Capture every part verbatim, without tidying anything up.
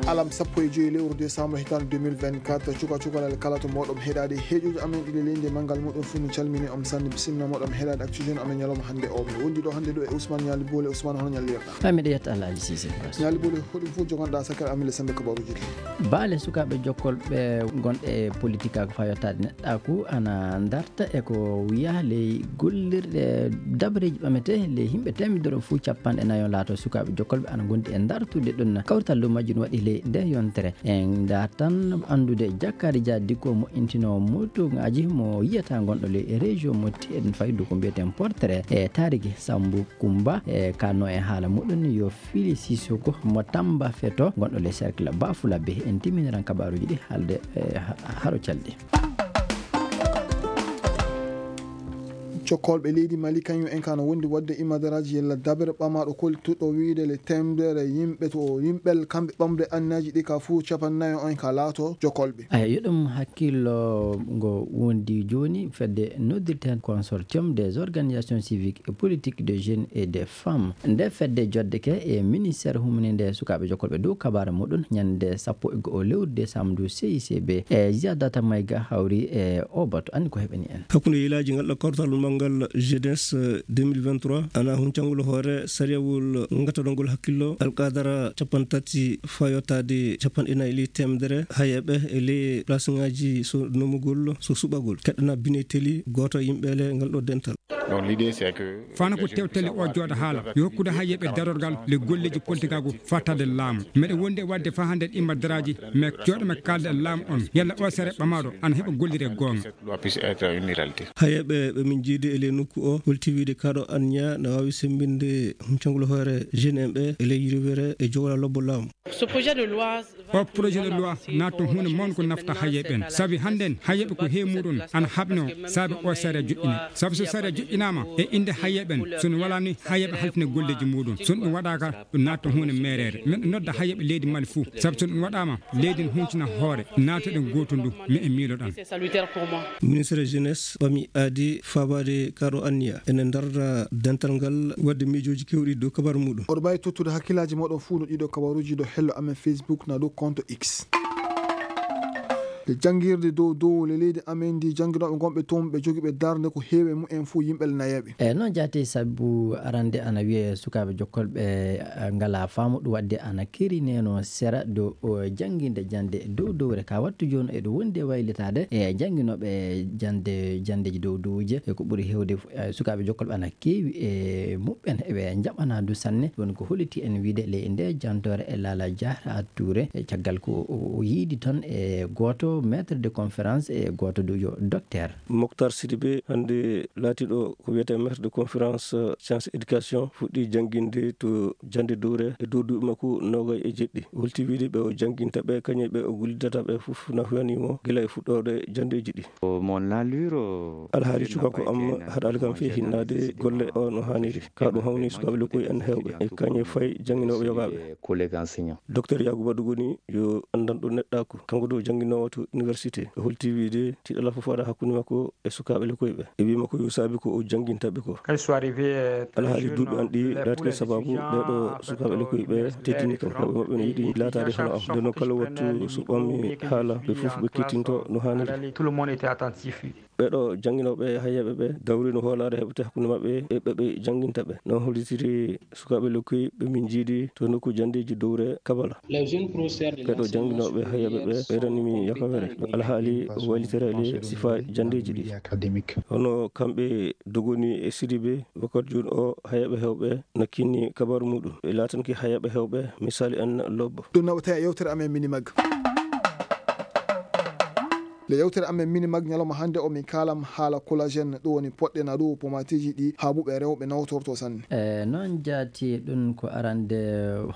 Alam sappo e joyi lewru décembre hitaande deux mille vingt-quatre, cuka cukalel kala to mboɗon heɗaade heeƴuji amen ɗiɗi leydi e manngal muɗum fuu, mi calmini on sanne, bisimilla moɗon heɗaade Actu Jeune amen ñalawma hannde o. Mi wondi ɗo hannde ɗo e Ousmane Ñaali Boole. Ousmane, hono ñallirɗa? Ay, miɗo yetta Allah, Alhaji Cissé Bass. Ñaali Boole, hoɗum fof joganɗa sakal amen le sembe kabaruji ɗi? Baale sukaaɓe jokkolɓe gonɗe e politique ko faa yottaade neɗɗaaku ana ndarta e ko wiyaa ley gollirɗe dabareeji ɓametee ley yimɓe teemedere fof capanɗe nayo laato sukaaɓe jokkolɓe ana ngondi e ndartude ɗum. Kawrital dow majjum waɗi ley nde yontere. En ndartan anndude Jakkaari Dia Dikko mo intinoowo mootooŋaaji mo yiyata gonɗo ley région mo Tiɗen Faydu ko mbiyeten portrait e taariki Sambu Kumba e kanno e haala muɗum yo Fili Sisoko mo Tamba Feto gonɗo ley cercle Bafulabe. En timminiran kabaaruji ɗi haalde e ha-, haro calɗi. Jokkolɓe leydi Mali kañum en ka no wondi waɗde imadaraaji yalla dabere ɓamaaɗo koltuɗo wiyde le temedere yimɓe to yimɓel kamɓe ɓamde annaaji ɗi ka fuu capannayo on ka laato jokkolɓe. Aya, yo ɗum hakkillo ngo wondi jooni fedde noddirten Consortium des organisations civiques et politiques de jeunes et des femmes. Nde fedde joddeke e ministère humininde sukaaɓe jokkolɓe dow kabaara muɗum ñande sappo e go'o lewru décembre ndu C I C B. E Ziyadata Mayga hawri e o batu, anndi ko heɓani en. Hakkunde yilaaji ngal ɗo kawtal manngal jeunesse, eh, deux mille vingt-trois, ana huncangol hoore sariyawol ngattanongol hakkillo alqadara capanɗe tati faa yottaade capanɗe nayi ley temedere hayeeɓe e ley place ŋaaji so nomugol, so suɓagol. Keɗɗana Bine Teli, gooto e yimɓe le ngal ɗo dental. Donc, l'idée, c'est que Fana ko tewtali o jooɗa haala, yo hokkude hayeeɓe darorgal le golleeji politikaagu fattaade laamu. Meɗe wondi e waɗde faa hannde ɗi maddaraaji, mais jooɗo men kaalda e laamu on, yalla o sere ɓamaaɗo ana heɓa gollire goonga. Cette loi puisse être une réalité. Hayeeɓe ɓe min jiidi e ley nokku o, holti wiide kaɗo anniya na waawi semmbinde huncangol hoore jeune en ɓe e ley yirwere e jowla lobbo laamu. Ce projet de loi O projet de loi naatto huunde mawnde ko nafta hayeeɓe en. Sabi hannden hayeeɓe ko heewi muɗum ana haɓnoo sabi o sariya joƴƴinee. Sabi so sariya joƴƴinaama e innde hayeeɓe en, so en walaani hayeeɓe halfine golleeji muɗum. So ɗum waɗaaka, ɗum naatto huunde meereere. Miɗo nodda hayeeɓe leydi Mali fuu. Sabi so ɗum waɗaama, leydi ne huncina hoore. Naatoɗen gooto ndu, mi e miiloɗan. Ministre jeunesse ɓami aadi faabaade kaɗo anniya. Ene ndarda dental ngal waɗde miijooji keewɗi dow kabaru muɗum. Oɗo mbaawi tottude hakkillaaji mooɗon fuu no ɗiɗo kabaruuji dow hello amen Facebook na dow compte X. Nde janngirde dow dow le leydi amen ndi, jannginooɓe gonɓe toon ɓe jogiiɓe darnde ko heewi e mumen fuu yimɓe le nayeeɓe. E noon jaati sabu arande ana wiyee sukaaɓe jokkolɓe, eh, ngalaa faamu ɗum waɗde ana kerineenoo sera dow, o, jannginde jannde dow dowre ka wattu jooni eɗo wondi e waylitaade e jannginooɓe jannde, janndeeji dow dowuje. E ko ɓuri heewde, eh, sukaaɓe jokkolɓe ana keewi e muɓɓen eɓe njaɓanaa du sanne. Woni ko holliti en wiide ley nde jantoore e Lala Diarra Touré, e caggal ko o, o yiidi toon e gooto maître de conférence e gooto du yo docteur. Moctar Sidibé, hannde laatiiɗo ko wiyetee maître de conférence, euh, science éducation, fuɗɗii jannginde to jannde dowre e dow duuɓi makko noogay e jeɗɗi. Holti wiide ɓe o jannginta ɓe, kañum e ɓe o gollidata ɓe fof na huyanii mo gila e fuɗɗoode janndeeji ɗi. Alhaali cuka ko am haɗaali kam fii hinnaade golle o no haaniri. Ka ɗum hawni sukaaɓe lekkoy en heewɓe, e kañum e fay jannginooɓe yogaaɓe. Docteur Yaakuba Dugoni yo anndanɗo neɗɗaaku. Kanko ɗo jannginoowo to université. O holti wiide tiiɗalla fof waɗa hakkunde makko e sukaaɓe lekkoy ɓe. E wii makko yo saabi ko o jannginta ɓe ko. Alhaali duuɓi an ɗi laatike sabaabu ɓee ɗo sukaaɓe lekkoy ɓe teddini kam. Mawɓe maɓɓe no yiɗi laataade hono am. Nden noon kala wattu so ɓammi haala, ɓe fof ɓe kettinto no haaniri. Ɓee ɗo jannginooɓe hayeeɓe ɓe dawri no hoolaare heɓete hakkunde maɓɓe e ɓe ɓe jannginta ɓe. No hollitiri sukaaɓe lekkoy ɓe min njiidi to nokku janndeeji dowre Kabala. Ɓee ɗo jannginooɓe hayeeɓe ɓe ɓeydani mi yakawere. Ɗo alhaali o waylitiraali sifa janndeeji ɗi. Hono kamɓe Dogoni e Sidibé, Bokar Juul o hayeeɓe heewɓe no kinni kabaaru muɗum. Ɓe laatanki hayeeɓe heewɓe misaali en lobbo. Ɗum nawata e yewtere amen Minimag. Le yewtere amen Minimag ñalawma hannde o min kaalam haala collagène, ɗum woni poɗɗe na ɗum pomatiiji ɗi haabuɓe rewɓe nawtorto sanne. E noon jaati ɗum ko arande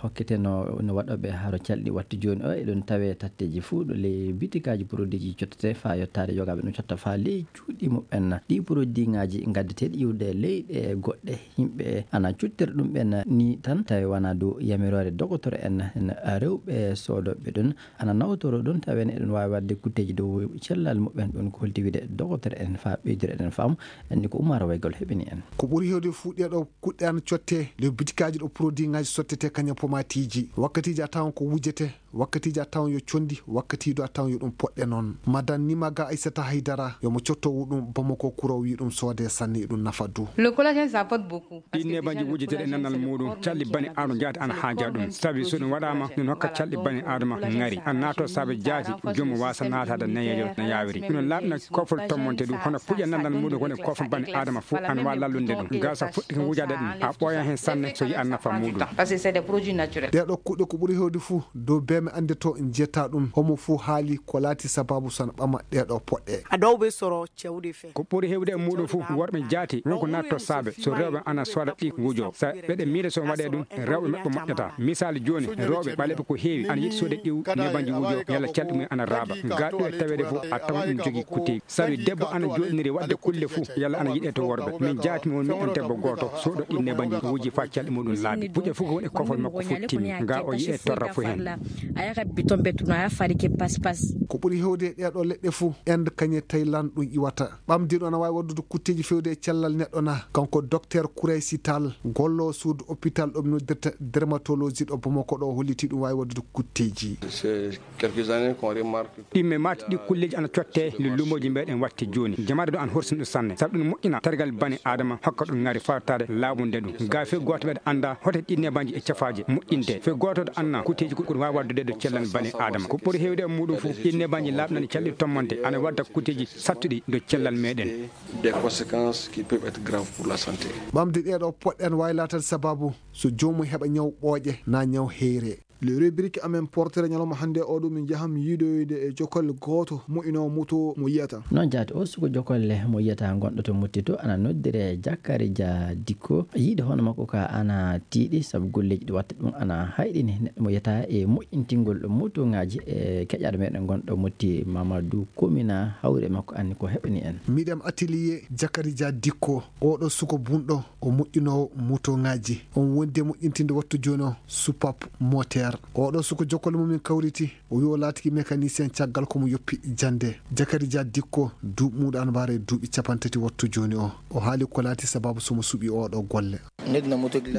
hokkete no, no waɗooɓe haro calɗi wattu jooni o, eɗum tawe tatteeji fuu ɗo ley bitikaaji produitji cottete faa yottaade yogaaɓe no cotta faa ley cuuɗi muɓɓen. Ɗi produitŋaaji ngaddeteeɗi iwde leyɗe goɗɗe yimɓe ana cuttira ɗum ɓen ni tan, tawi wonaa dow yamiroore dogotoro en, en rewɓe soodooɓe ɗum. Ana nawtoro ɗum, tawen eɗen waawi waɗde kutteeji dow cellal muɓɓen, ɗum ko holti wiide dogotoro en faa ɓeydira eɗen faamu, anndi ko Umar Waygol heɓini en. Ko ɓuri heewde fuu ɗee ɗoo kuɗɗe ana cottee le bitikaaji ɗo produitŋaaji sottete kañum pomatiiji. Wakkatiiji a tawan ko wujete Wakkatiiji a tawan yo conndi, wakkatiidu a tawan yo ɗum poɗɗe noon. Madan Nimaga Aissata Haydara, yo mo cottowu ɗum Bamako kuro wi ɗum soode sanne, ɗum nafa du. Le collagène, ça apporte beaucoup. Ɗiin nebanji wujitede e nanal muuɗum, calɗi bani aadama jaati ana haaja ɗum. Sabi so ɗum waɗaama, ɗum hokka calɗi bani aadama ŋari. A naato saabe jaati, joom waasa naataade neyeejo no yaawiri. Ɗum laaɓna kofol tommonte ɗum, hono puƴe nanal muuɗum woni kofol bani aadama fof, ana waawi lallunde ɗum. Gasa fuɗɗi ko wujaade ɗum, a ɓooya heen sanne so yiya nafa muuɗum. Parce que c'est des produits naturels. Ɗee ɗoo kuɗɗe ko ɓuri heewde fof dow beeme annde to njetaa ɗum, homo fof haali ko laati sabaabu so na ɓama ɗee ɗoo poɗɗe. A ɗoo ɓe soro cewɗi fe. Ko ɓuri heewde e muuɗum fof, worɓe jaati, won ko naatto saabe, so rewɓe ana sooda ɗi wujo. Sa ɓeɗe miila so waɗee ɗum, rewɓe maɓɓe moƴƴata. Misaali jooni, rewɓe ɓaleeɓe ko heewi, ana yiɗi soode ɗi nebanji wujo, yalla calɗi mum ana raaba. Gaa ɗo e taweede fof, a tawan ɗum jogii kutteeji. Sabi debbo ana jooɗiniri waɗde kulle fof, yalla ana yiɗee to worɓe. Min jaati mi won miɗen debbo gooto, soodo ɗi nebanji wuji faa calɗi muɗum laaɓi. Puƴe fof ko woni e kofol makko fof timmi. Gaa o yi'ee torra fof heen. A yaha biton ɓe tuna, a yaha fari ke pas pas. Ko ɓuri heewde e ɗee ɗoo leɗɗe fof, Inde kañe Thaïlande ɗum iwata. Ɓamde ɗo ana waawi waɗdude kutteeji feewde e cellal neɗɗo na? Kanko Docteur Kouraysi Tall, golloowo suudu hôpital ɗo ɓe noddirta dermatologie ɗo Bamako ɗo, holliti ɗum waawi waɗdude kutteeji. C'est quelques années qu'on remarque que Ɗimme maati ɗi kulleeji ana cottee le luumooji meɗen watte jooni. Jamaade ɗo ana horsini ɗum sanne. Sabu ɗum moƴƴina tergal bani aadama, hokka ɗum ŋari fawtaade laaɓunde ɗum. Gaa fee gooto meɗen annda hoto ɗi nebanji e cafaaje moƴƴinte. Fee gooto annda kutteeji ko ɗum waawi waɗdude ɗo cellal bani aadama. Ko ɓuri heewde e muuɗum fof, ɗi nebanji laaɓnani calɗi tommonte ana wadda kutteeji sattuɗi dow cellal meɗen. Des conséquences qui peuvent être graves pour la santé. Ɓamde ɗee ɗoo poɗɗe ana waawi laataade sabaabu so joomum heɓa ñaw ɓooƴe naa ñaw heyre. Le rubrique amen portere ñalawma hannde o ɗum min njahan yiidoyde e jokolle gooto moƴƴinoowo moto mo yiyata. Noon jaati o suko jokolle mo yiyata gonɗo to Mutti to ana noddire Jakari Dia Dikko. Yiide hono makko ka ana tiiɗi sabu golleeji ɗi watta ɗum ana hayɗini neɗɗo mo yiyata e moƴƴintingol motoŋaaji e keƴaaɗo meɗen gonɗo Mutti Mamadou Komina hawri e makko anni ko heɓani en. Miɗem atelier Jakari Dia Dikko, oɗo suko bunɗo, o moƴƴinoowo motoŋaaji. On wondi e moƴƴintinde wattu jooni o supap moteur. Oɗo suko jokkole mum min kawriti, o wi o laatiki mécanicien caggal ko mo yoppi jannde. Jakari Dia Dikko, duuɓi muuɗum ana mbaara e duuɓi capanɗe tati wattu jooni o. O haali ko laati sabaabu so mo suɓi oɗo golle.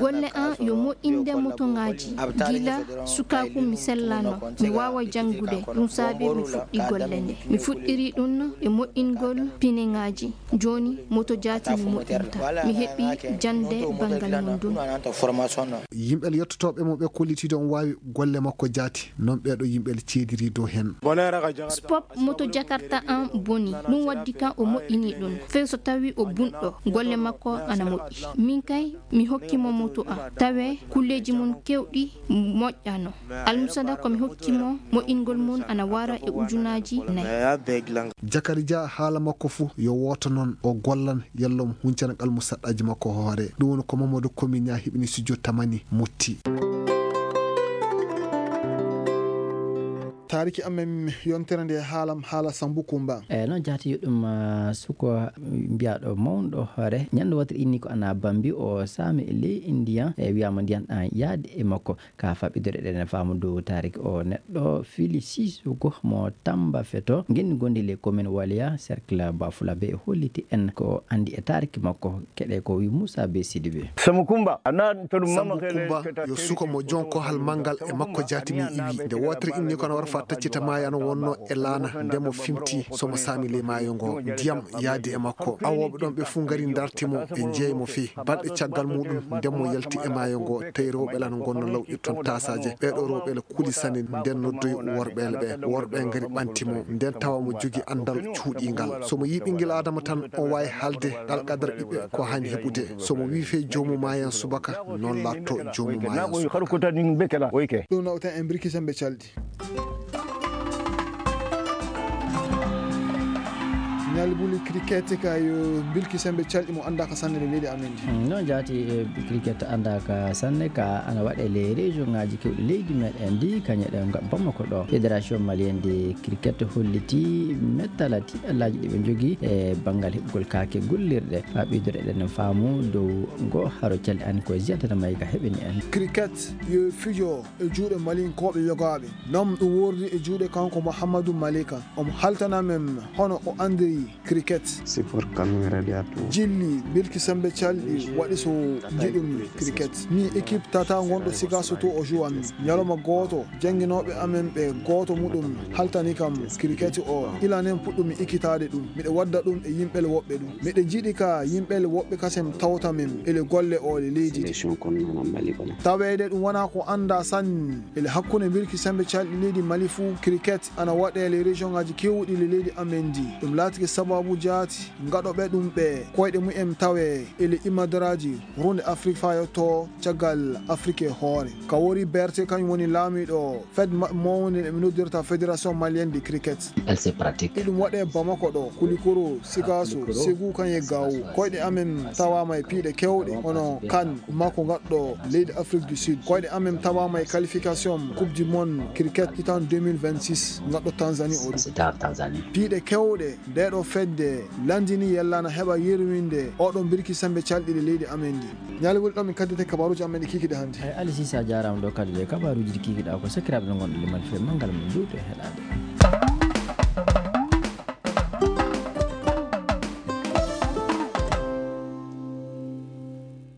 Golle an yo moƴƴinde motoŋaaji. Gila sukaaku mi sellano, mi waawa janngude, ɗum saabi mi fuɗɗi golle nde. Mi fuɗɗiri ɗum e moƴƴingol pineŋaaji. Jooni moto jaati mi moƴƴinta. Mi heɓi jannde banngal mum ɗum. Yimɓe yettotooɓe mo ɓe kollitiiɗo on waawi golle makko jaati. Noon ɓee ɗoo yimɓe ceediri dow heen. Spop moto Jakarta an boni. Ɗum waddi kan o moƴƴini ɗum. Fee so tawi o bunɗo, golle makko ana moƴƴi. Min kay, mi hokki mo moto an. Tawe kulleeji mum keewɗi moƴƴano. Almusada ko mi hokki mo, moƴƴingol mum ana wara e ujunaaji nay. Jakari Dia haala makko fof yo wooto noon, o gollan, yalla omo huncana qalmusaɗɗaaji makko hoore. Ɗum woni ko Mamadou Komi Ñaa heɓini studio Tamani Mutti. Taariki amen yontere nde haalam haala Sambu Kumba. Eeyi, noon jaati yo ɗum, ah, suko mbiyaaɗo mawɗo hoore. Ñande wootere inni ko ana Bambi o saami e ley Indiyan, e wiyaama ndiyan ɗan yaadi e makko. Ka faɓɓidore ɗen faamu dow taariki o neɗɗo Fili Sissoko mo Tamba Feto, ngenndi gondi ley commune Waliya, cercle Bafulabe, e holliti en ko anndi e taariki makko. Keɗe ko wi Moussa Be Sidibé. Samu Kumba, a na to ɗum Sambu mama kele Kumba keta yo teri suka mo jon kohal manngal e makko jaati min iwi. Nde wootere inni kono wara fa taccita maayo ana wonno e laana nde mo fimti so mo saami ley maayo ngo. Ndiyam yaadi e makko. Awooɓe ɗon ɓe fuu ngari ndarti mo, ɓe njeeyi mo fii. Balɗe caggal muuɗum, nden mo yalti e maayo ngo, tawi rewɓe lan ngonno lawƴi ton taasaaje. Ɓee ɗoo rewɓe la kuli sanne, nden noddoyi worɓe la ɓe. Worɓe ngari ɓanti mo, nden tawa mo jogi anndal cuuɗiingal. So mo yii ɓinngel Aadama tan, on waawi haalde alqadara ɓiɓɓe ko haani heɓude. So mo wii fey joomu maayan subaka, non laatto joomu maayan subaka. Ɗum nawten en birki sembe calɗi. Ñalbuli cricket ka yo bilki sembe calɗi mo anndaaka sanne ɓe mbiɗi amen ndi. Mm, noon jaati, e cricket anndaaka sanne ka ana waɗe les région ngaji kewɗi leydi meɗen ndi, kañe ɗe nga Bamako ɗo. Fédération malienne de cricket holliti mettala tiiɗallaaji ɗi ɓe njogii e banngal heɓugol kaake gollirɗe. Haa ɓeydore eɗen faamu dow ngo haro calɗi an ko e Ziyad Tata Maïga heɓini en. Cricket yo fijo e juuɗe Malinkooɓe yogaaɓe. Noon ɗum wordi e juuɗe kanko Mouhamadou Malika. Omo haltana men hono o anndiri Cricket. Jilli birki sembe calɗi waɗi so njiɗumi cricket. Mi équipe tata gonɗo Sigaso to o jouwa mi. Ñalawma gooto, jannginooɓe amen ɓe gooto muɗum haltani kam cricket o. Ilanen puɗɗumi ikkitaade ɗum. Miɗo wadda ɗum e yimɓe woɓɓe ɗum. Miɗo jiɗi ka yimɓe woɓɓe kasem tawta min ele golle o le leydi. Taweede ɗum wona ko annda sanni ele hakkunde birki sembe calɗi leydi Mali fuu, cricket ana waɗe ele région ngaji kewɗi le leydi amen ndi. Ɗum laatike sababu jaati ngaɗoɓe ɗum ɓe koyɗe mumen tawe ele imadaraaji runde Afrique fayotto caggal Afrique e hoore. Ka wori Berté kañum woni laamiɗo fed maɓɓe mawnde ɓe noddirta Fédération Malienne de Cricket. Iɗum waɗe Bamako ɗo, Kulikoro, Sigaso, Ségou kañum e Gao. Koyɗe amen tawama e piiɗe kewɗe, hono kan mako ngaɗɗo leydi Afrique du Sud. Koyɗe amen tawama e qualification Coupe du Monde cricket itan deux mille vingt-six ngaɗɗo Tanzanie o ɗum. Piiɗe kewɗe nde ɗo fedde landini yellana heɓa yerwinde oɗon birki sembe calɗi le leydi amen ndi. Ñalawma ɗo min kaddete kabaruji amen ɗi kikiɗe hannde. Ay, Ali Sisa jaaraama ɗo kadi le kabaruji ɗi kikiɗa ko sakiraaɓe ɓe ngonɗo limal fe manngal mum juuɗe heɗaade.